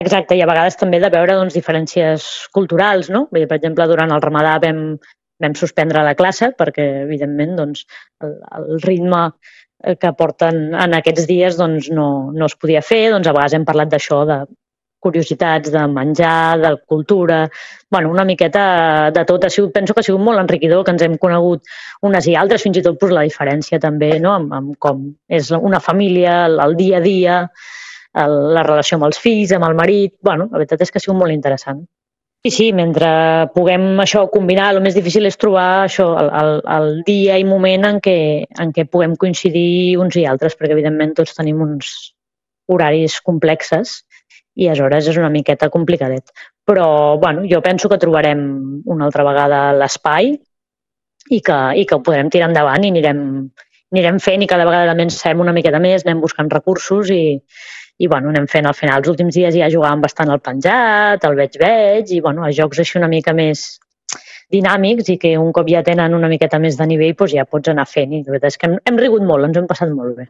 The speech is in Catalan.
Exacte, i a vegades també de veure doncs, diferències culturals, no? Vull dir, per exemple, durant el Ramadà vam suspendre la classe perquè, evidentment, doncs, el ritme que porten en aquests dies doncs, no es podia fer. Doncs a vegades hem parlat d'això, de curiositats, de menjar, de cultura, bueno, una miqueta de tot. Penso que ha sigut molt enriquidor, que ens hem conegut unes i altres, fins i tot la diferència també, no? amb com és una família, el dia a dia, la relació amb els fills, amb el marit. Bueno, la veritat és que ha sigut molt interessant. Sí, mentre puguem això combinar, el més difícil és trobar això, el dia i moment en què puguem coincidir uns i altres, perquè evidentment tots tenim uns horaris complexes i aleshores és una miqueta complicadet. Però bueno, jo penso que trobarem una altra vegada l'espai i que ho podrem tirar endavant i anirem fent i cada vegada fem una miqueta més, anem buscant recursos i bueno, anem fent al final. Els últims dies ja jugàvem bastant al penjat, al veig, i bueno, a jocs així una mica més dinàmics i que un cop ja tenen una miqueta més de nivell doncs ja pots anar fent. I la veritat és que hem rigut molt, ens hem passat molt bé.